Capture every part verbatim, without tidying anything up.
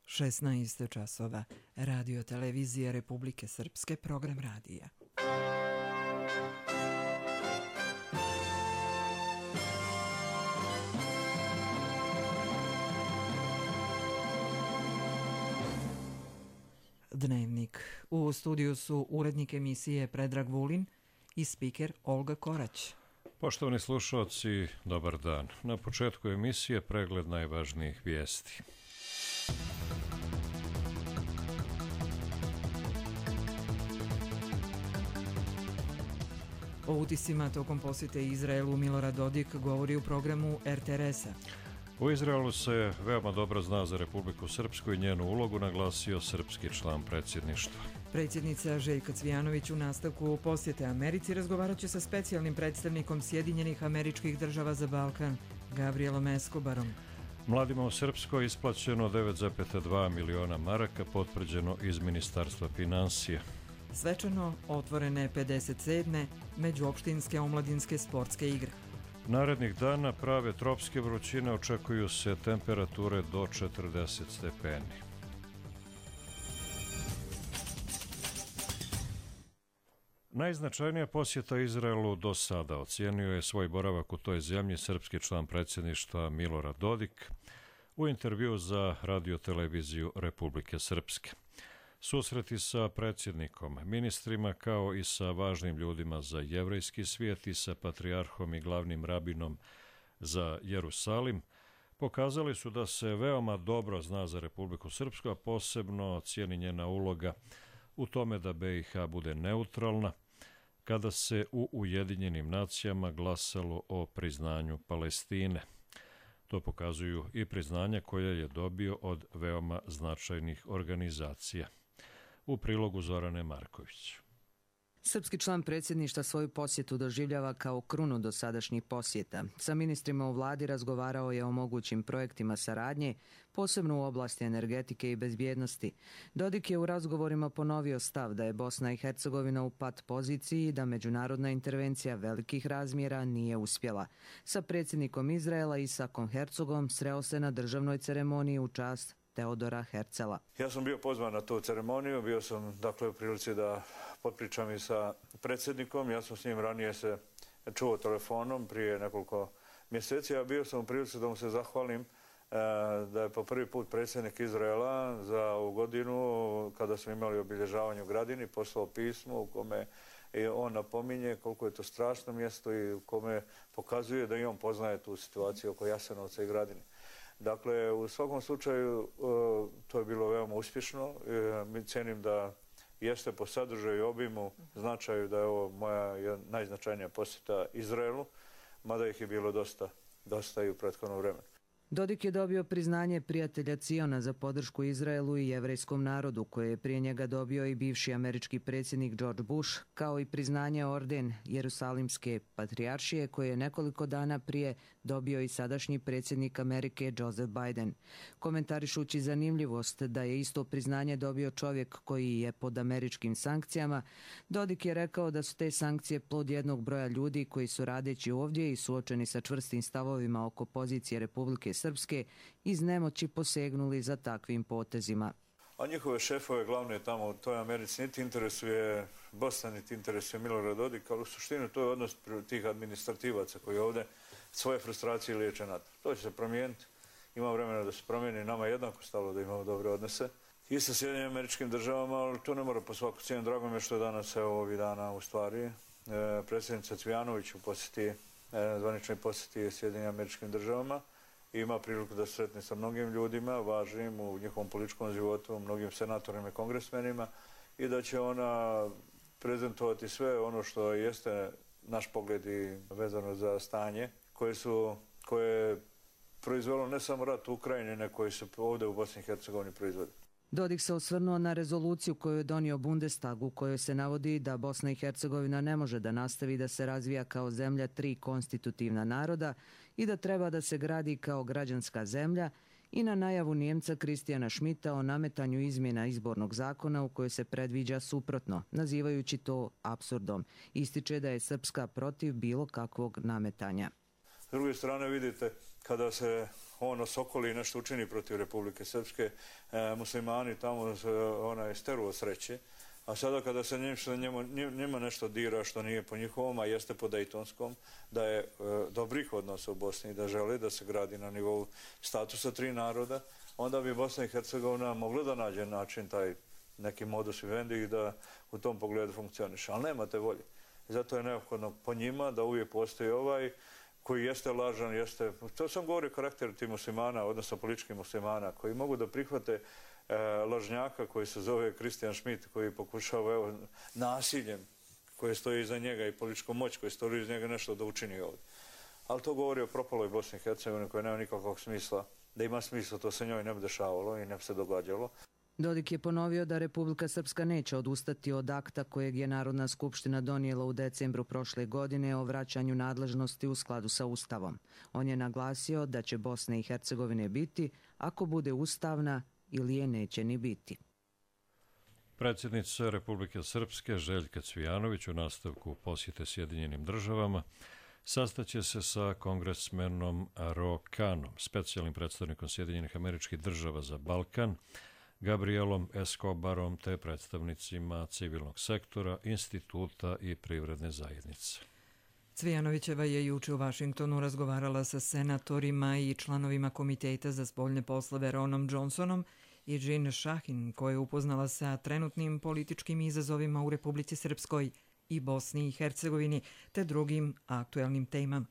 šesnaest časova. Radio televizija Republike Srpske, program radija. Dnevnik. U studiju su urednik emisije Predrag Vulin i spiker Olga Korać. Poštovani slušalci, dobar dan. Na početku emisije pregled najvažnijih vijesti. O utisima tokom posjete Izraelu Milorad Dodik govori u programu er te er es-a. U Izraelu se veoma dobro zna za Republiku Srpsku i njenu ulogu, naglasio srpski član predsjedništva. Predsjednica Željka Cvijanović u nastavku posjete Americi razgovarat će sa specijalnim predstavnikom Sjedinjenih Američkih Država za Balkan, Gabrielom Escobarom. Mladima u Srpskoj isplaćeno devet zarez dva miliona maraka, potvrđeno iz Ministarstva financija. Svečano otvorene pedeset sedme međuopštinske omladinske sportske igre. Narednih dana prave tropske vrućine, očekuju se temperature do četrdeset stepeni. Najznačajnija posjeta Izraelu do sada. Ocijenio je svoj boravak u toj zemlji srpski član predsjedništva Milorad Dodik u intervjuu za radioteleviziju Republike Srpske. Susreti sa predsjednikom, ministrima kao i sa važnim ljudima za jevrejski svijet i sa patrijarhom i glavnim rabinom za Jerusalim pokazali su da se veoma dobro zna za Republiku Srpsku, a posebno cijeni njena uloga u tome da be i ha bude neutralna kada se u Ujedinjenim nacijama glasalo o priznanju Palestine. To pokazuju i priznanja koje je dobio od veoma značajnih organizacija. U prilogu Zorane Marković. Srpski član predsjedništva svoju posjetu doživljava kao krunu dosadašnjih posjeta. Sa ministrima u vladi razgovarao je o mogućim projektima saradnje, posebno u oblasti energetike i bezbjednosti. Dodik je u razgovorima ponovio stav da je Bosna i Hercegovina u pat poziciji i da međunarodna intervencija velikih razmjera nije uspjela. Sa predsjednikom Izraela Isakom Herzogom sreo se na državnoj ceremoniji u čast Teodora Herzela. Ja sam bio pozvan na tu ceremoniju, bio sam dakle u prilici da potpričam i sa predsjednikom. Ja sam s njim ranije se čuo telefonom prije nekoliko mjeseci, a bio sam u prilici da mu se zahvalim da je po prvi put predsjednik Izraela za ovu godinu, kada smo imali obilježavanje u Gradini, poslao pismo u kome on napominje koliko je to strašno mjesto i u kome pokazuje da i on poznaje tu situaciju oko Jasenovca i Gradine. Dakle, u svakom slučaju to je bilo veoma uspješno. Mi cenim da jeste po sadržaju i obimu značaju da je ovo moja najznačajnija posjeta Izraelu, mada ih je bilo dosta, dosta i u prethodnom vremenu. Dodik je dobio priznanje prijatelja Ciona za podršku Izraelu i jevrejskom narodu, koje je prije njega dobio i bivši američki predsjednik George Bush, kao i priznanje orden Jerusalimske patrijaršije, koje je nekoliko dana prije dobio i sadašnji predsjednik Amerike Joseph Biden. Komentarišući zanimljivost da je isto priznanje dobio čovjek koji je pod američkim sankcijama, Dodik je rekao da su te sankcije plod jednog broja ljudi koji su radeći ovdje i suočeni sa čvrstim stavovima oko pozicije Republike Srpske iz nemoći posegnuli za takvim potezima. A njihove šefove glavne tamo u toj Americi niti interesuje Bosna, niti interesuje Milorad Dodik, ali u suštini to je odnos tih administrativaca koji ovdje svoje frustracije liječe na to. To će se promijeniti, ima vremena da se promijeni, nama je jednako stalo da imamo dobre odnose i sa Sjedinjenim Američkim Državama, ali to ne mora po svaku cijenu. Drago mi je što je danas evo ovih dana u stvari e, predsjednica Cvijanović u posjeti, e, zvaničnoj posjeti Sjedinjenim Američkim Državama. Ima priliku da se sretne sa mnogim ljudima, važnim u njihovom političkom životu, mnogim senatorima i kongresmenima i da će ona prezentovati sve ono što jeste naš pogled i vezano za stanje koje su, koje je proizvelo ne samo rat u Ukrajini, nego koji se ovdje u Bosni i Hercegovini proizvode. Dodik se osvrnuo na rezoluciju koju je donio Bundestag, u kojoj se navodi da Bosna i Hercegovina ne može da nastavi da se razvija kao zemlja tri konstitutivna naroda i da treba da se gradi kao građanska zemlja, i na najavu Njemca Kristijana Schmidta o nametanju izmjena izbornog zakona u kojoj se predviđa suprotno, nazivajući to apsurdom. Ističe da je Srpska protiv bilo kakvog nametanja. S druge strane vidite, kada se on osokoli i nešto učini protiv Republike Srpske, e, muslimani tamo onaj steru sreće. A sada kada se njima, njima nešto dira što nije po njihovom, a jeste po Dejtonskom, da je e, dobrih odnosa u Bosni i da žele da se gradi na nivou statusa tri naroda, onda bi Bosna i Hercegovina mogla da nađe način, taj neki modus vivendi i da u tom pogledu funkcioniše. Ali nema te volje. I zato je neophodno po njima da uvijek postoji ovaj koji jeste lažan, jeste, to sam govorio karakter tih muslimana, odnosno političkih muslimana, koji mogu da prihvate e, lažnjaka koji se zove Kristijan Šmit, koji pokušava evo, nasiljem koje stoji iza njega i političkom moć koji stoji iza njega nešto da učini ovdje. Ali to govori o propaloj Bosni i Hercegovini koja nema nikakvog smisla. Da ima smisla, to se njoj ne bi dešavalo i ne bi se događalo. Dodik je ponovio da Republika Srpska neće odustati od akta kojeg je Narodna skupština donijela u decembru prošle godine o vraćanju nadležnosti u skladu sa Ustavom. On je naglasio da će Bosne i Hercegovine biti ako bude ustavna ili je neće ni biti. Predsjednica Republike Srpske Željka Cvijanović u nastavku posjete Sjedinjenim državama sastaće se sa kongresmenom Ro Khanom, specijalnim predstavnikom Sjedinjenih Američkih Država za Balkan, Gabrielom Escobarom te predstavnicima civilnog sektora, instituta i privredne zajednice. Cvijanovićeva je juče u Vašingtonu razgovarala sa senatorima i članovima Komiteta za spoljne poslove Ronom Johnsonom i Jean Shahin, koja je upoznala sa trenutnim političkim izazovima u Republici Srpskoj i Bosni i Hercegovini te drugim aktuelnim temama.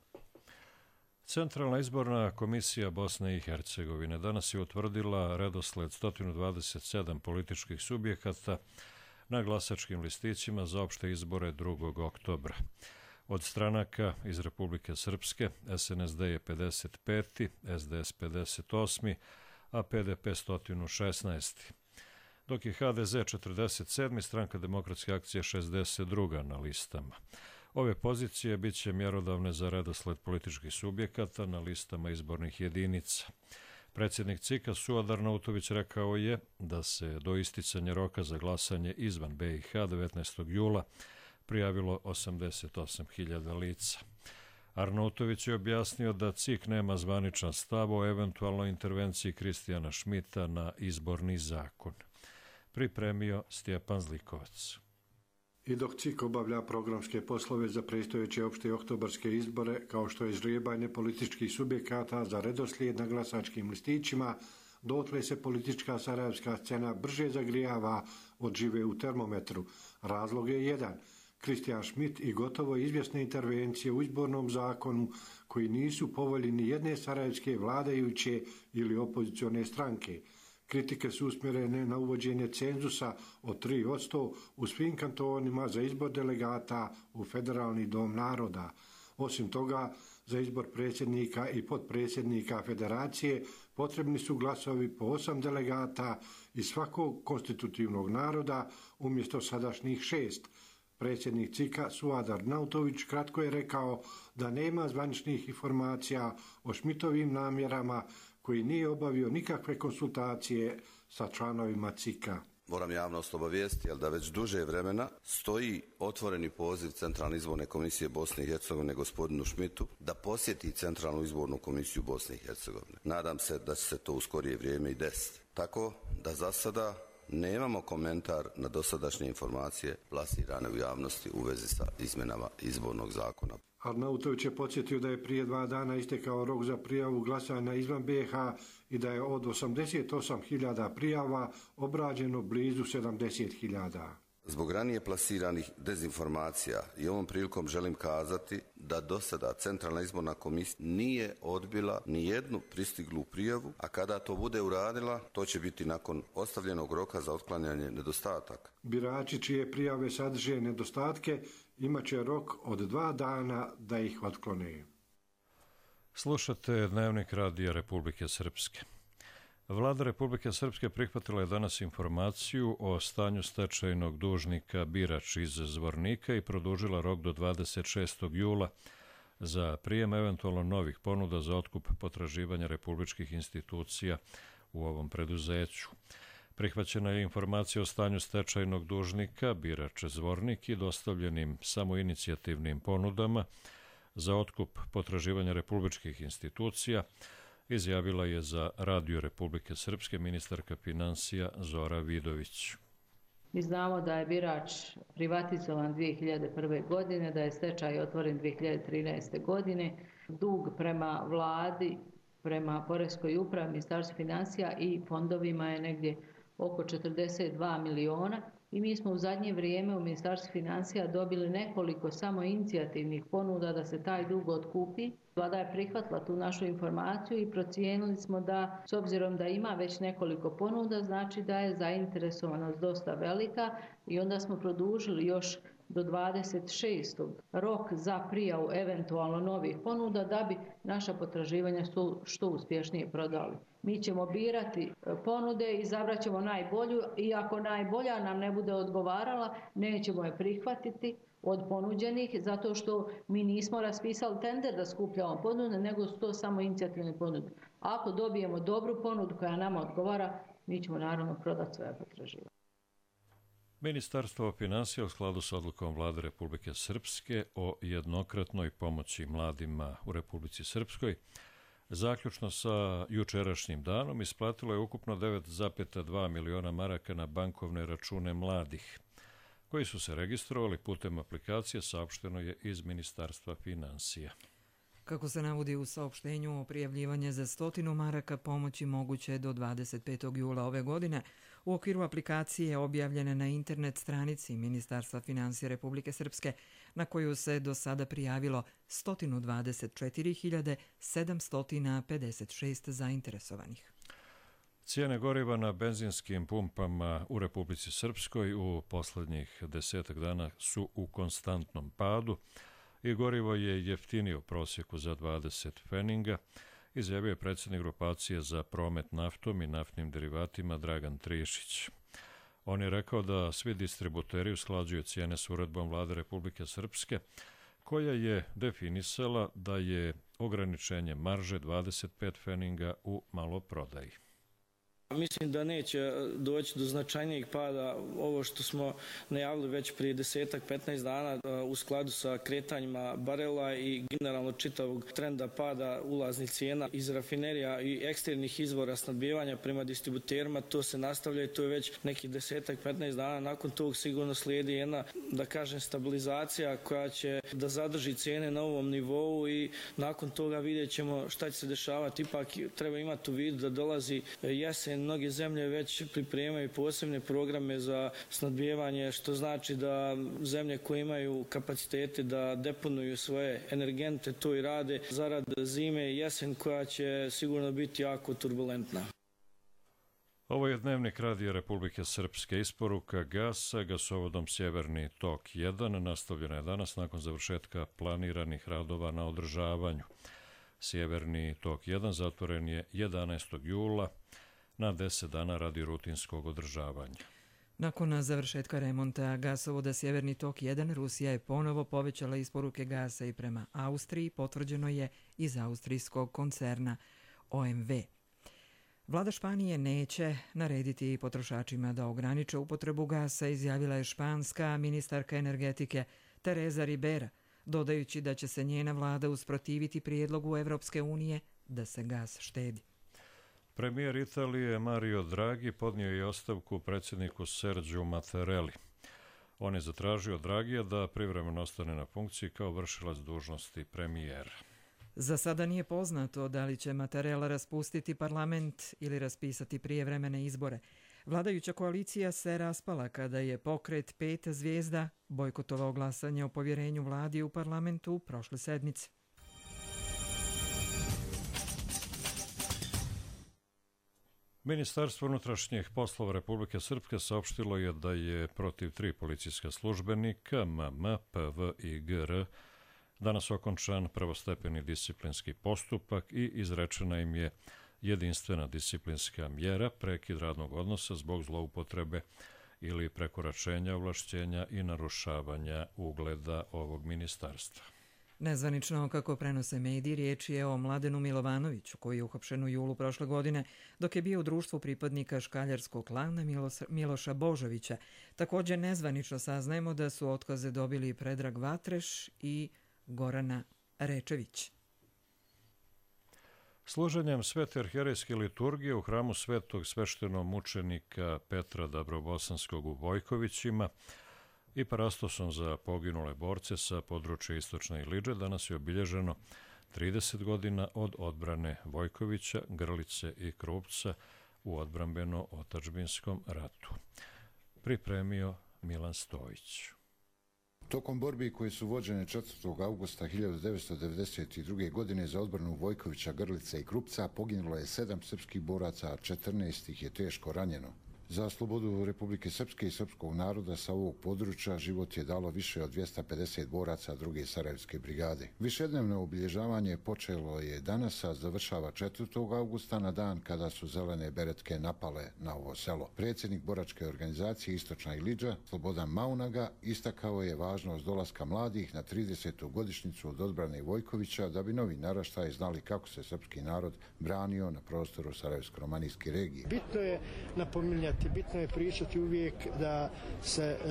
Centralna izborna komisija Bosne i Hercegovine danas je utvrdila redosled sto dvadeset sedam političkih subjekata na glasačkim listićima za opšte izbore drugog oktobra. Od stranaka iz Republike Srpske S N S D je pedeset peti, S D S pedeset osmi, a P D P sto šesnaesti. Dok je H D Z četrdeset sedmi, Stranka demokratske akcije šezdeset druga na listama. Ove pozicije bit će mjerodavne za redosled političkih subjekata na listama izbornih jedinica. Predsjednik C I K-a Suad Arnautović rekao je da se do isticanja roka za glasanje izvan B i H devetnaestog jula prijavilo osamdeset osam hiljada lica. Arnautović je objasnio da C I K nema zvaničan stav o eventualnoj intervenciji Kristijana Šmita na izborni zakon. Pripremio Stjepan Zlikovac. I dok C I K obavlja programske poslove za predstojeće opšte oktobarske izbore, kao što je ždrijebanje političkih subjekata za redoslijed na glasačkim listićima, dotle se politička sarajevska scena brže zagrijava od žive u termometru. Razlog je jedan. Kristijan Šmit i gotovo izvjesne intervencije u izbornom zakonu koji nisu po volji ni jedne sarajevske vladajuće ili opozicione stranke. Kritike su usmjerene na uvođenje cenzusa od tri posto u svim kantonima za izbor delegata u Federalni dom naroda. Osim toga, za izbor predsjednika i potpredsjednika federacije potrebni su glasovi po osam delegata iz svakog konstitutivnog naroda umjesto sadašnjih šest. Predsjednik C I K-a Suad Arnautović kratko je rekao da nema zvaničnih informacija o Šmitovim namjerama koji nije obavio nikakve konsultacije sa članovima C I K-a. Moram javnost obavijestiti, ali da već duže vremena stoji otvoreni poziv Centralne izborne komisije Bosne i Hercegovine gospodinu Šmitu da posjeti Centralnu izbornu komisiju Bosne i Hercegovine. Nadam se da će se to u skorije vrijeme i desiti. Tako da za sada nemamo komentar na dosadašnje informacije plasirane u javnosti u vezi sa izmjenama izbornog zakona. Arnautović je podsjetio da je prije dva dana istekao rok za prijavu glasanja izvan B i H i da je od osamdeset osam hiljada prijava obrađeno blizu sedamdeset hiljada. Zbog ranije plasiranih dezinformacija i ovom prilikom želim kazati da do sada Centralna izborna komisija nije odbila ni jednu pristiglu prijavu, a kada to bude uradila, to će biti nakon ostavljenog roka za otklanjanje nedostataka. Birači čije prijave sadrže nedostatke imat će rok od dva dana da ih otklone. Slušate Dnevnik Radija Republike Srpske. Vlada Republike Srpske prihvatila je danas informaciju o stanju stečajnog dužnika Birač iz Zvornika i produžila rok do dvadeset šestog jula za prijem eventualno novih ponuda za otkup potraživanja republičkih institucija u ovom preduzeću. Prihvaćena je informacija o stanju stečajnog dužnika Birač Zvornik i dostavljenim samoinicijativnim ponudama za otkup potraživanja republičkih institucija izjavila je za Radio Republike Srpske ministarka finansija Zora Vidović. Mi znamo da je Birač privatizovan dvije hiljade prve. godine, da je stečaj otvoren dvije hiljade trinaeste. godine. Dug prema vladi, prema poreskoj upravi, ministarstvu financija i fondovima je negdje oko četrdeset dva miliona. I mi smo u zadnje vrijeme u Ministarstvu financija dobili nekoliko samo inicijativnih ponuda da se taj dug otkupi. Vlada je prihvatila tu našu informaciju i procijenili smo da, s obzirom da ima već nekoliko ponuda, znači da je zainteresovanost dosta velika i onda smo produžili još do dvadeset šestog rok za prijavu eventualno novih ponuda da bi naša potraživanja što uspješnije prodali. Mi ćemo birati ponude i izabrat ćemo najbolju i ako najbolja nam ne bude odgovarala, nećemo je prihvatiti od ponuđenih, zato što mi nismo raspisali tender da skupljamo ponude, nego su to samo inicijativne ponude. Ako dobijemo dobru ponudu koja nama odgovara, mi ćemo naravno prodati svoje potraživanje. Ministarstvo finansija u skladu s odlukom Vlade Republike Srpske o jednokratnoj pomoći mladima u Republici Srpskoj zaključno sa jučerašnjim danom isplatilo je ukupno devet zarez dva miliona maraka na bankovne račune mladih, koji su se registrovali putem aplikacije, saopšteno je iz Ministarstva finansija. Kako se navodi u saopštenju, prijavljivanje za stotinu maraka pomoći moguće je do dvadeset petog jula ove godine u okviru aplikacije objavljene na internet stranici Ministarstva finansija Republike Srpske, na koju se do sada prijavilo sto dvadeset četiri hiljade sedamsto pedeset šest zainteresovanih. Cijene goriva na benzinskim pumpama u Republici Srpskoj u posljednjih desetak dana su u konstantnom padu i gorivo je jeftinije u prosjeku za dvadeset pfeninga, izjavio je predsjednik grupacije za promet naftom i naftnim derivatima Dragan Trišić. On je rekao da svi distributeri usklađuju cijene s uredbom Vlade Republike Srpske, koja je definisala da je ograničenje marže dvadeset pet pfeninga u maloprodaji. Mislim da neće doći do značajnijeg pada ovo što smo najavili već prije desetak, petnaest dana u skladu sa kretanjima barela i generalno čitavog trenda pada ulaznih cijena iz rafinerija i eksternih izvora snabdijevanja prema distributerima. To se nastavlja i to je već nekih desetak, petnaest dana. Nakon tog sigurno slijedi jedna, da kažem, stabilizacija koja će da zadrži cijene na ovom nivou i nakon toga vidjet ćemo šta će se dešavati. Ipak treba imati u vidu da dolazi jesen. Mnoge zemlje već pripremaju posebne programe za snabdijevanje, što znači da zemlje koje imaju kapacitete da deponuju svoje energente to i rade zarad zime i jesen koja će sigurno biti jako turbulentna. Ovo je dnevnik Radija Republike Srpske. Isporuka gasa gasovodom Sjeverni tok jedan nastavljena je danas nakon završetka planiranih radova na održavanju. Sjeverni tok jedan zatvoren je jedanaestog jula na deset dana radi rutinskog održavanja. Nakon završetka remonta gasovoda Sjeverni tok jedan, Rusija je ponovo povećala isporuke gasa i prema Austriji, potvrđeno je iz austrijskog koncerna O M V. Vlada Španije neće narediti potrošačima da ograniče upotrebu gasa, izjavila je španska ministarka energetike Teresa Ribera, dodajući da će se njena vlada usprotiviti prijedlogu Evropske unije da se gas štedi. Premijer Italije Mario Draghi podnio je ostavku predsjedniku Sergiju Mattarelli. On je zatražio Draghija da privremeno ostane na funkciji kao vršilac dužnosti premijera. Za sada nije poznato da li će Mattarella raspustiti parlament ili raspisati prijevremene izbore. Vladajuća koalicija se raspala kada je pokret Pet zvijezda bojkotovao glasanje o povjerenju vladi u parlamentu prošle sedmice. Ministarstvo unutrašnjih poslova Republike Srpske saopštilo je da je protiv tri policijska službenika M M, P V i G R danas okončan prvostepeni disciplinski postupak i izrečena im je jedinstvena disciplinska mjera prekid radnog odnosa zbog zloupotrebe ili prekoračenja ovlašćenja i narušavanja ugleda ovog ministarstva. Nezvanično, kako prenose mediji, riječ je o Mladenu Milovanoviću, koji je uhapšen u julu prošle godine, dok je bio u društvu pripadnika škaljarskog klana Miloša Božovića. Također nezvanično saznajemo da su otkaze dobili Predrag Vatreš i Gorana Rečević. Služenjem svete arhijerejske liturgije u hramu svetog sveštenomučenika Petra Dabrobosanskog u Vojkovićima i parastosom za poginule borce sa područja Istočne Iliđe danas je obilježeno trideset godina od odbrane Vojkovića, Grlice i Krupca u odbrambeno-otadžbinskom ratu. Pripremio Milan Stojić. Tokom borbi koje su vođene četvrtog avgusta hiljadu devetsto devedeset druge. godine za odbranu Vojkovića, Grlice i Krupca poginulo je sedam srpskih boraca, a četrnaest ih je teško ranjeno. Za slobodu Republike Srpske i srpskog naroda sa ovog područja život je dalo više od dvjesto pedeset boraca druge Sarajevske brigade. Višednevno obilježavanje počelo je danas, a završava četvrtog avgusta na dan kada su zelene beretke napale na ovo selo. Predsjednik boračke organizacije Istočna Iliđa, Slobodan Maunaga, istakao je važnost dolaska mladih na tridesetu godišnjicu od odbrane Vojkovića da bi novi naraštaji znali kako se srpski narod branio na prostoru Sarajevsko-romanijske regije. Bitno je napominjati, bitno je pričati uvijek da se e,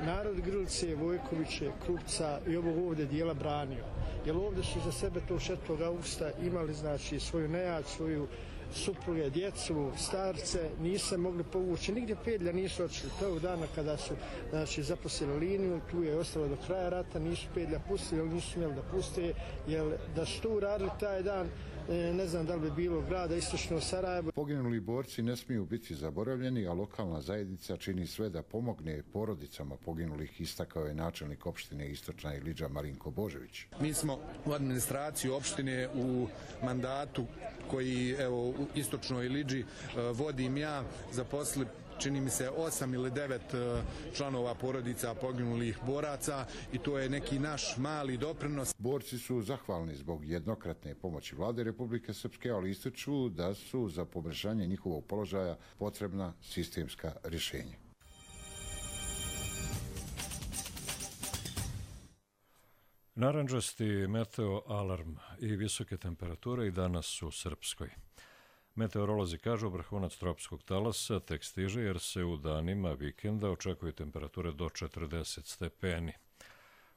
narod Grlice, Vojkoviće, Krupca i ovog ovdje dijela branio. Jer ovdje su za sebe to četvrtog avgusta imali znači svoju nejad, svoju supruge, djecu, starce, nisu se mogli povući, nigdje pedlja nisu odšli. Tog dana kada su znači, zaposlili liniju, tu je ostalo do kraja rata, nisu pedlja pustili, jer nisu smjeli da puste, jer da su tu radili taj dan, ne znam da li bi bilo grada Istočno Sarajevo. Poginuli borci ne smiju biti zaboravljeni, a lokalna zajednica čini sve da pomogne porodicama poginulih, istakao je načelnik opštine Istočna Iliđa Marinko Božević. Mi smo u administraciji opštine u mandatu koji evo, u Istočnoj Iliđi vodim ja, zaposlili čini mi se osam ili devet članova porodica poginulih boraca i to je neki naš mali doprinos. Borci su zahvalni zbog jednokratne pomoći Vlade Republike Srpske, ali ističu da su za poboljšanje njihovog položaja potrebna sistemska rješenja. Narandžasti meteo alarm i visoke temperature i danas u Srpskoj. Meteorolozi kažu vrhunac tropskog talasa tek stiže jer se u danima vikenda očekuju temperature do četrdeset stepeni.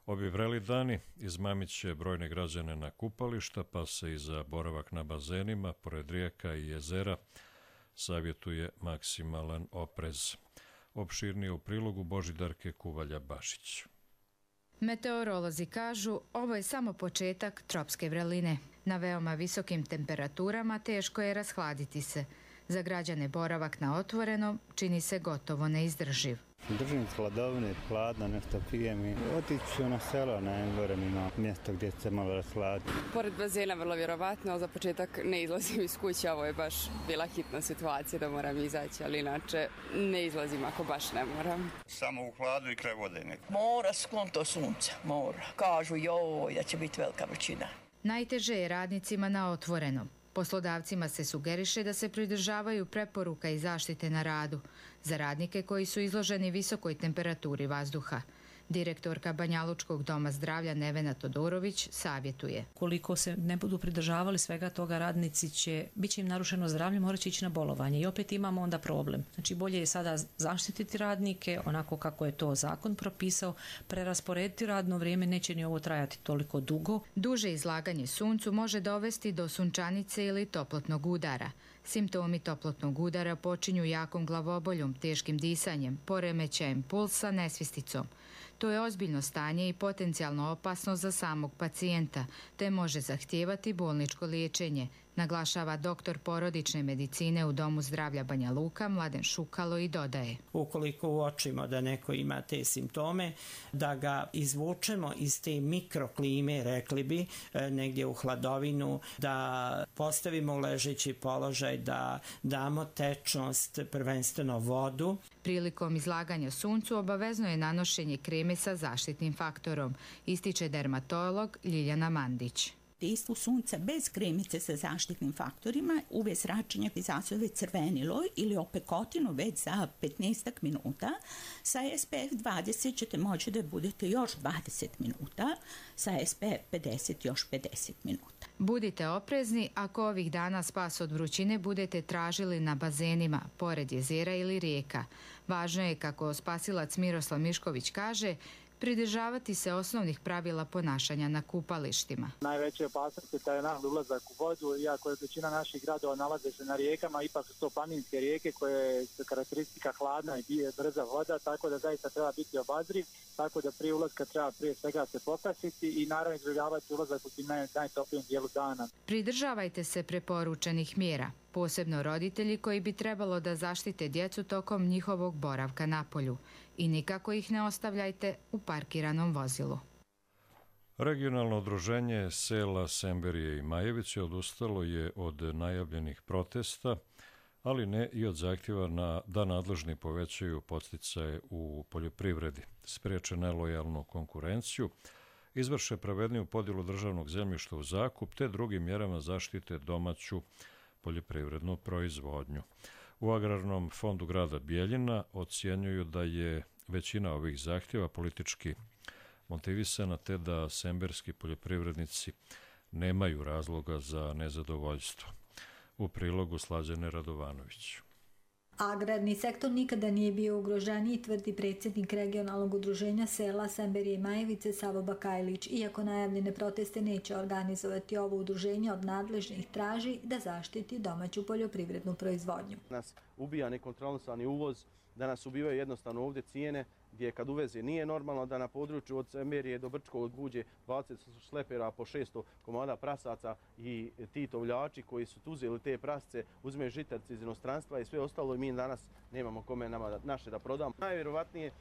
Ovi vreli dani izmamit će brojne građane na kupališta, pa se i za boravak na bazenima, pored rijeka i jezera, savjetuje maksimalan oprez. Opširnije u prilogu Božidarke Kuvalja-Bašić. Meteorolozi kažu ovo je samo početak tropske vreline. Na veoma visokim temperaturama teško je rashladiti se. Za građane boravak na otvorenom čini se gotovo neizdrživ. Držim hladovine, hladno, nešto pijem i otiću na selo, na Engorem ima mjesto gdje se malo rashladiti. Pored bazena vrlo vjerovatno, ali za početak ne izlazim iz kuće, ovo je baš bila hitna situacija da moram izaći, ali inače ne izlazim ako baš ne moram. Samo u hladu i kraj vode neko. Mora sklon to sunca, mora. Kažu joj da će biti velika vrućina. Najteže je radnicima na otvorenom. Poslodavcima se sugeriše da se pridržavaju preporuka i zaštite na radu za radnike koji su izloženi visokoj temperaturi vazduha. Direktorka Banjalučkog doma zdravlja Nevena Todorović savjetuje. Koliko se ne budu pridržavali svega toga, radnici će, bit će im narušeno zdravlje, morat će ići na bolovanje i opet imamo onda problem. Znači bolje je sada zaštititi radnike onako kako je to zakon propisao, prerasporediti radno vrijeme, neće ni ovo trajati toliko dugo. Duže izlaganje suncu može dovesti do sunčanice ili toplotnog udara. Simptomi toplotnog udara počinju jakom glavoboljom, teškim disanjem, poremećajem pulsa, nesvisticom. To je ozbiljno stanje i potencijalno opasno za samog pacijenta, te može zahtijevati bolničko liječenje, naglašava doktor porodične medicine u Domu zdravlja Banja Luka Mladen Šukalo i dodaje. Ukoliko uočimo da neko ima te simptome, da ga izvučemo iz te mikroklime, rekli bi, negdje u hladovinu, da postavimo u ležeći položaj, da damo tečnost, prvenstveno vodu. Prilikom izlaganja suncu obavezno je nanošenje kreme sa zaštitnim faktorom, ističe dermatolog Ljiljana Mandić. Dejstvo sunca bez kremice sa zaštitnim faktorima uvijek zračenje izazove crvenilo ili opekotinu već za petnaest minuta. Sa S P F dvadeset ćete moći da budete još dvadeset minuta, sa S P F pedeset još pedeset minuta. Budite oprezni ako ovih dana spas od vrućine budete tražili na bazenima, pored jezera ili rijeka. Važno je, kako spasilac Miroslav Mišković kaže, pridržavati se osnovnih pravila ponašanja na kupalištima. Najveća opasnost je taj nagli ulazak u vodu, iako je većina naših gradova nalaze se na rijekama, ipak su to planinske rijeke koje su karakteristika hladna i brza voda, tako da zaista treba biti obazriv, tako da prije ulaska treba prije svega se popasiti i naravno izbjegavati ulazak u tim najtoplijem dijelu dana. Pridržavajte se preporučenih mjera, posebno roditelji koji bi trebalo da zaštite djecu tokom njihovog boravka na polju i nikako ih ne ostavljajte u parkiranom vozilu. Regionalno udruženje sela Semberije i Majevice odustalo je od najavljenih protesta, ali ne i od zahtjeva na, da nadležni povećaju podsticaje u poljoprivredi, spriječe nelojalnu konkurenciju, izvrše pravedniju podjelu državnog zemljišta u zakup te drugim mjerama zaštite domaću poljoprivrednu proizvodnju. U Agrarnom fondu grada Bijeljina ocjenjuju da je većina ovih zahtjeva politički motivisana te da semberski poljoprivrednici nemaju razloga za nezadovoljstvo. U prilogu Slađane Radovanović. Agrarni sektor nikada nije bio ugroženiji, tvrdi predsjednik regionalnog udruženja sela Semberije i Majevice Savo Bakajlić. Iako najavljene proteste neće organizovati, ovo udruženje od nadležnih traži da zaštiti domaću poljoprivrednu proizvodnju. Nas ubija nekontrolisani uvoz, da nas ubivaju jednostavno ovdje cijene, gdje kad uveze nije normalno da na području od Semberije do Brčkog buđe dvadeset šlepera po šesto komada prasaca i ti tovljači koji su uzeli te prasce, uzme žitarci iz inostranstva i sve ostalo i mi danas nemamo kome nama naše da prodamo. Najvjerovatnije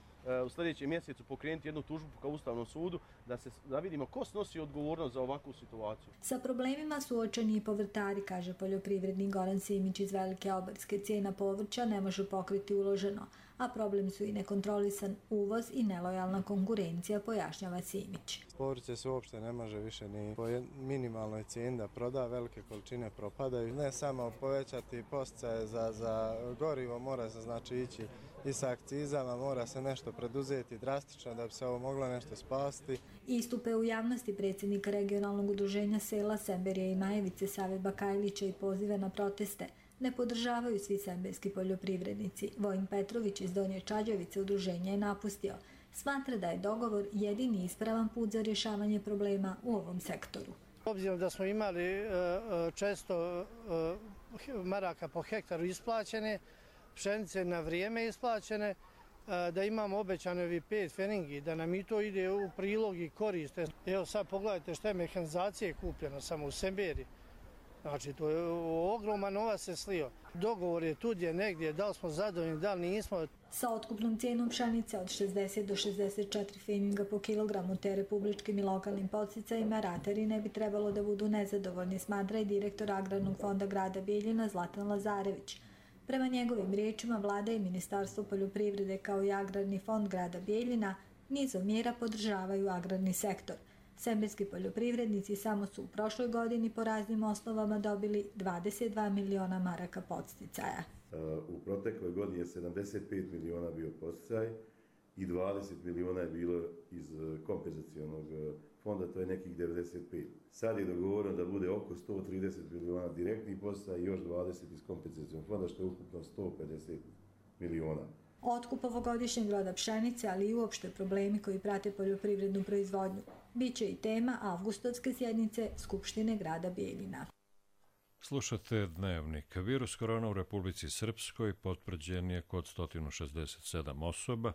u sljedećem mjesecu pokrenuti jednu tužbu ka Ustavnom sudu da se da vidimo ko snosi odgovornost za ovakvu situaciju. Sa problemima suočeni i povrtari, kaže poljoprivrednik Goran Simić iz Velike Obarske. Cijena povrća ne može pokriti uloženo, a problem su i nekontrolisan uvoz i nelojalna konkurencija, pojašnjava Simić. Povrće se uopšte ne može više ni po minimalnoj cijeni da proda, velike količine propadaju. Ne samo povećati podsticaje za, za gorivo, mora se znači ići i sa akcizama, mora se nešto preduzeti drastično da bi se ovo moglo nešto spasti. Istupe u javnosti predsjednika regionalnog udruženja sela Semberije i Majevice Save Bakajlića i pozive na proteste ne podržavaju svi semberski poljoprivrednici. Vojin Petrović iz Donje Čađavice udruženja je napustio. Smatra da je dogovor jedini ispravan put za rješavanje problema u ovom sektoru. Obzirom da smo imali često maraka po hektaru isplaćene, pšenice na vrijeme isplaćene, da imamo obećane ovi pet feringi, da nam i to ide u prilog i koriste. Evo sad pogledajte šta je mehanizacije kupljeno samo u Semberiji. Znači, to je ogroman novac se slio. Dogovor je tu gdje negdje, da li smo zadovoljni, da li nismo. Sa otkupnom cijenom pšenice od šezdeset do šezdeset četiri feninga po kilogramu te republičkim i lokalnim podsticajima ratari ne bi trebalo da budu nezadovoljni, smatra i direktor Agrarnog fonda grada Bijeljina Zlatan Lazarević. Prema njegovim riječima, vlada i Ministarstvo poljoprivrede kao i Agrarni fond grada Bijeljina nizom mjera podržavaju agrarni sektor. Semberski poljoprivrednici samo su u prošloj godini po raznim osnovama dobili dvadeset dva miliona maraka podsticaja. U protekloj godini je sedamdeset pet miliona bio podsticaj i dvadeset miliona je bilo iz kompenzacionog fonda, to je nekih devedeset pet. Sad je dogovoreno da bude oko sto trideset miliona direktnih podsticaj i još dvadeset iz kompenzacionog fonda, što je ukupno sto pedeset miliona. Otkup ovogodišnjeg roda pšenice, ali i uopšte problemi koji prate poljoprivrednu proizvodnju, biće i tema avgustovske sjednice Skupštine grada Bijeljina. Slušate Dnevnik. Virus korona u Republici Srpskoj potvrđen je kod sto šezdeset sedam osoba,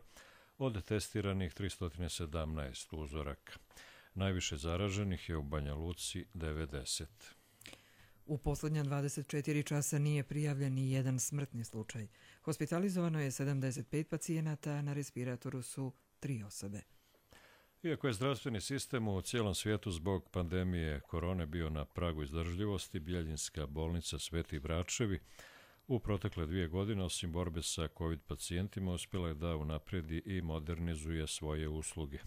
od testiranih tristo sedamnaest uzoraka. Najviše zaraženih je u Banja Luci devedeset. U posljednja dvadeset četiri časa nije prijavljen ni jedan smrtni slučaj. Hospitalizovano je sedamdeset pet pacijenata, a na respiratoru su tri osobe. Iako je zdravstveni sistem u cijelom svijetu zbog pandemije korone bio na pragu izdržljivosti, Bijeljinska bolnica Sveti Vračevi u protekle dvije godine, osim borbe sa COVID pacijentima, uspjela je da unaprijedi i modernizuje svoje usluge.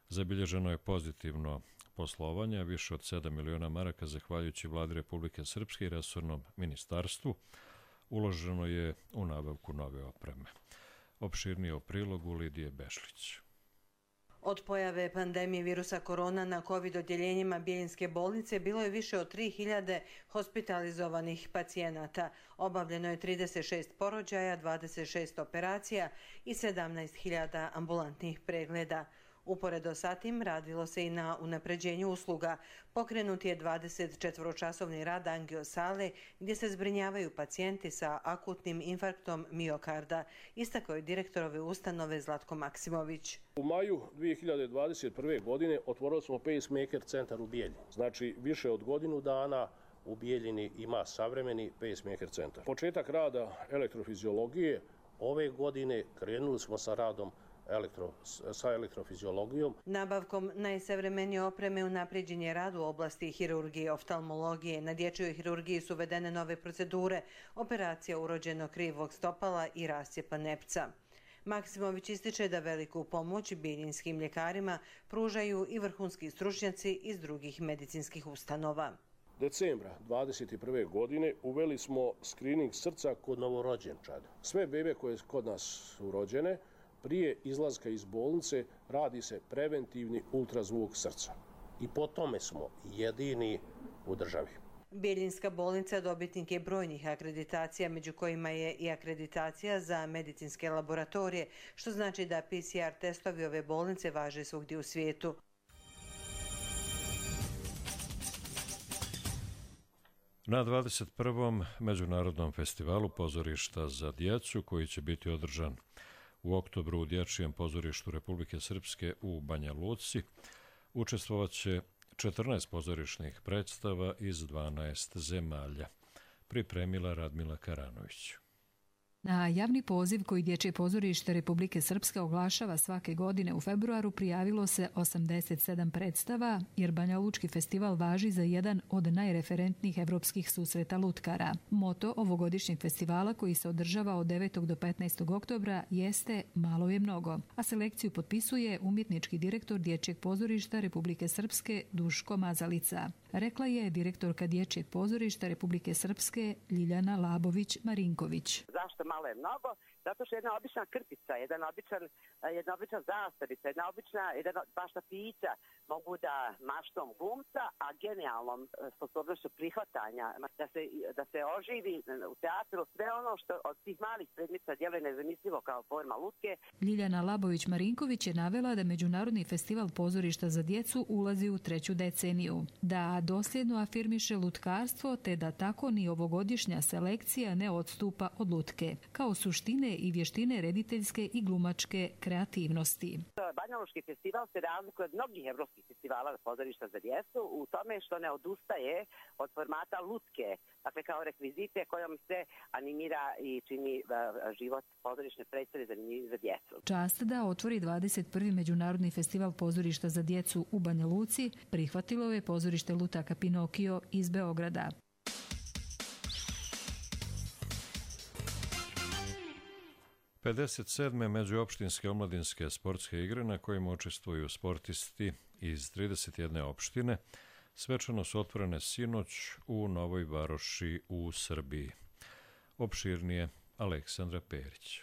Zabilježeno je pozitivno poslovanje, više od sedam miliona maraka zahvaljujući vladi Republike Srpske i resornom ministarstvu. Uloženo je u nabavku nove opreme. Opširnije o prilogu Lidije Bešlić. Od pojave pandemije virusa korona na COVID odjeljenjima Bijeljinske bolnice bilo je više od tri hiljade hospitalizovanih pacijenata. Obavljeno je trideset šest porođaja, dvadeset šest operacija i sedamnaest hiljada ambulantnih pregleda. Uporedo sa tim radilo se i na unapređenju usluga. Pokrenut je dvadesetčetvoročasovni rad angiosale gdje se zbrinjavaju pacijenti sa akutnim infarktom miokarda, istakao je direktor ove ustanove Zlatko Maksimović. U maju dvije hiljade dvadeset prve. godine otvorili smo pacemaker centar u Bijeljini. Znači više od godinu dana u Bijeljini ima savremeni pacemaker centar. Početak rada elektrofiziologije ove godine krenuli smo sa radom Elektro, sa elektrofiziologijom. Nabavkom najsavremenije opreme unapređen je rad u oblasti hirurgije i oftalmologije. Na dječjoj hirurgiji su uvedene nove procedure, operacija urođenog krivog stopala i rascijepa nepca. Maksimović ističe da veliku pomoć biljinskim ljekarima pružaju i vrhunski stručnjaci iz drugih medicinskih ustanova. Decembra dvadeset prve. godine uveli smo skrining srca kod novorođenčad. Sve bebe koje kod nas su rođene, prije izlaska iz bolnice radi se preventivni ultrazvuk srca. I po tome smo jedini u državi. Bijeljinska bolnica dobitnik je brojnih akreditacija, među kojima je i akreditacija za medicinske laboratorije, što znači da P C R testovi ove bolnice važe svugdje u svijetu. Na dvadeset prvom. Međunarodnom festivalu pozorišta za djecu, koji će biti održan u oktobru u Dječjem pozorištu Republike Srpske u Banja Luci, učestvovat će četrnaest pozorišnih predstava iz dvanaest zemalja, pripremila Radmila Karanović. Na javni poziv koji Dječje pozorište Republike Srpske oglašava svake godine u februaru prijavilo se osamdeset sedam predstava, jer Banja Lučki festival važi za jedan od najreferentnijih evropskih susreta lutkara. Moto ovogodišnjeg festivala, koji se održava od devetog do petnaestog oktobra, jeste Malo je mnogo, a selekciju potpisuje umjetnički direktor Dječjeg pozorišta Republike Srpske Duško Mazalica. Rekla je direktorka Dječjeg pozorišta Republike Srpske Ljiljana Labović-Marinković. Zašto malo je mnogo? Zato što jedna obična krpica, jedan običan, jedna obična zastavica, jedna obična, jedan bašta pića mogu da maštom glumca, a genijalnom sposobnošću prihvatanja, da se, da se oživi u teatru sve ono što od tih malih predmica djeluje nezamislivo kao forma lutke. Ljiljana Labović-Marinković je navela da Međunarodni festival pozorišta za djecu ulazi u treću deceniju, da dosljedno afirmiše lutkarstvo, te da tako ni ovogodišnja selekcija ne odstupa od lutke, kao suštine i vještine rediteljske i glumačke kreativnosti. Banja Lučki festival se razlikuje od mnogih evropskih festivala pozorišta za djecu u tome što ne odustaje od formata lutke, dakle kao rekvizite kojom se animira i čini život pozorišne predstave zanimljivi za djecu. Čast da otvori dvadeset prvi. Međunarodni festival pozorišta za djecu u Banja Luci prihvatilo je pozorište lutaka Pinokio iz Beograda. pedeset sedme. Međuopštinske omladinske sportske igre na kojima učestvuju sportisti iz trideset jedne opštine svečano su otvorene sinoć u Novoj Varoši u Srbiji. Opširnije Aleksandra Perić.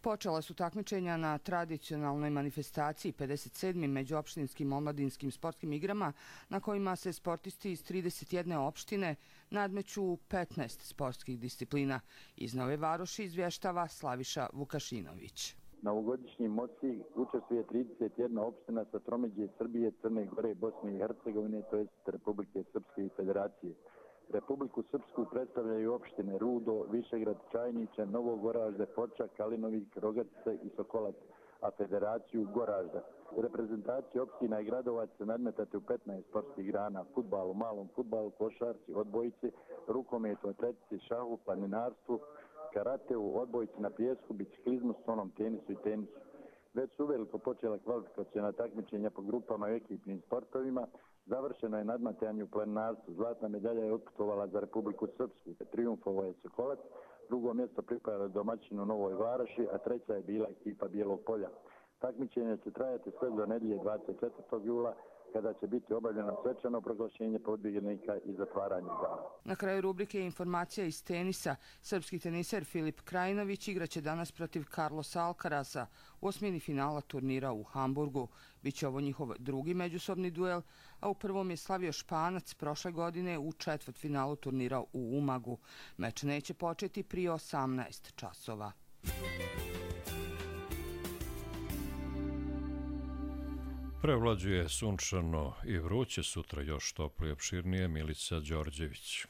Počela su takmičenja na tradicionalnoj manifestaciji pedeset sedmim. Međuopštinskim omladinskim sportskim igrama na kojima se sportisti iz trideset jedne opštine nadmeću u petnaest sportskih disciplina. Iz Nove Varoši izvještava Slaviša Vukašinović. Na ovogodišnjim moci učestvuje trideset jedna opština sa tromeđe Srbije, Crne Gore, Bosne i Hercegovine, to jest Republike Srpske i Federacije. Republiku Srpsku predstavljaju opštine Rudo, Višegrad, Čajniče, Novo Goražde, Foča, Kalinovik, Rogatica i Sokolac, a Federaciju Goražda. Reprezentacije opština i gradova će se nadmetati u petnaest sportskih grana: fudbalu, malom fudbalu, košarci, odbojci, rukometu, atletici, šahu, planinarstvu, karateu, odbojci na pijesku, biciklizmu, stonom tenisu i tenisu. Već su uveliko počela kvalifikacijona takmičenja po grupama i ekipnim sportovima. Završeno je nadmetanje u planinarstvu. Zlatna medalja je otputovala za Republiku Srpsku. Trijumfovao je Sokolac, drugo mjesto pripada domaćinu Novoj Varoši, a treća je bila ekipa Bijelog Polja. Takmičenje će trajati sve do nedjelje dvadeset četvrtog jula, kada će biti obavljeno svečano proglašenje pobjednika i zatvaranje igara. Na kraju rubrike informacija iz tenisa. Srpski teniser Filip Krajinović igraće danas protiv Carlosa Alcarasa u osmini finala turnira u Hamburgu. Biće ovo njihov drugi međusobni duel, a u prvom je slavio Španac prošle godine u četvrtfinalu turnira u Umagu. Meč neće početi prije osamnaest časova. Prevlađuje sunčano i vruće, sutra još toplije i opširnije. Milica Đorđević.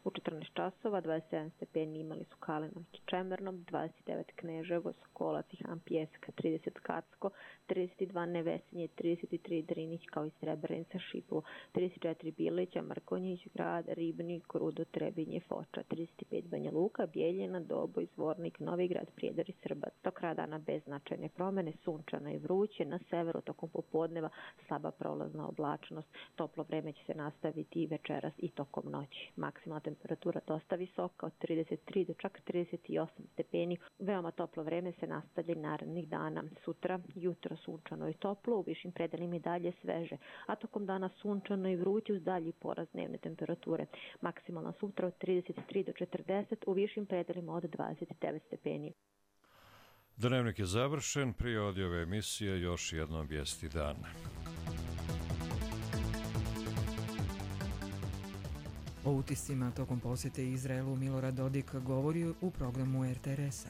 U četrnaest časova dvadeset sedam stepeni imali su Kalinović i Čemernom, dvadeset devet Kneževo, Sokolac i Han Pjeska, trideset Kacko, trideset dva Nevesinje, trideset tri Drinić kao i Srebrenica, Šipovo, trideset četiri Bilića, Mrkonjić, Grad, Ribnik, Rudo, Trebinje, Foča, trideset pet Banja Luka, Bijeljina, Doboj, Zvornik, Novigrad, Prijedor i Srbac. Do kraja dana bez značajne promene, sunčano i vruće, na severu tokom popodneva slaba prolazna oblačnost, toplo vreme će se nastaviti i večeras i tokom noći. Maksimalna temperatura dosta visoka od trideset tri do čak trideset osam stepeni. Veoma toplo vreme se nastavlja narednih dana. Sutra, jutro sunčano i toplo, u višim predelima i dalje sveže, a tokom dana sunčano i vruće uz dalji porast dnevne temperature. Maksimalna sutra od trideset tri do četrdeset, u višim predelima od dvadeset devet stepeni. Dnevnik je završen, prije odjave emisije još jednom vijesti dana. O utiscima tokom posjete Izraelu Milorad Dodik govori u programu er te er es-a.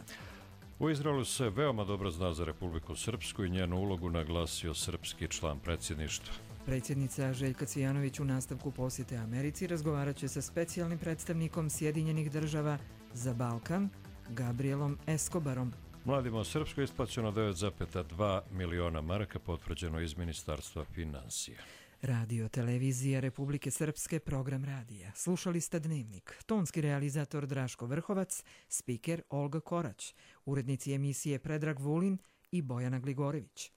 U Izraelu se veoma dobro zna za Republiku Srpsku i njenu ulogu naglasio srpski član predsjedništva. Predsjednica Željka Cvijanović u nastavku posjete Americi razgovarat će sa specijalnim predstavnikom Sjedinjenih država za Balkan, Gabrielom Escobarom. Mladima u Srpskoj isplaćeno devet zarez dva miliona maraka, potvrđeno iz Ministarstva financija. Radio televizija Republike Srpske, program radija. Slušali ste Dnevnik. Tonski realizator Draško Vrhovac, spiker Olga Korać, urednici emisije Predrag Vulin i Bojana Gligorević.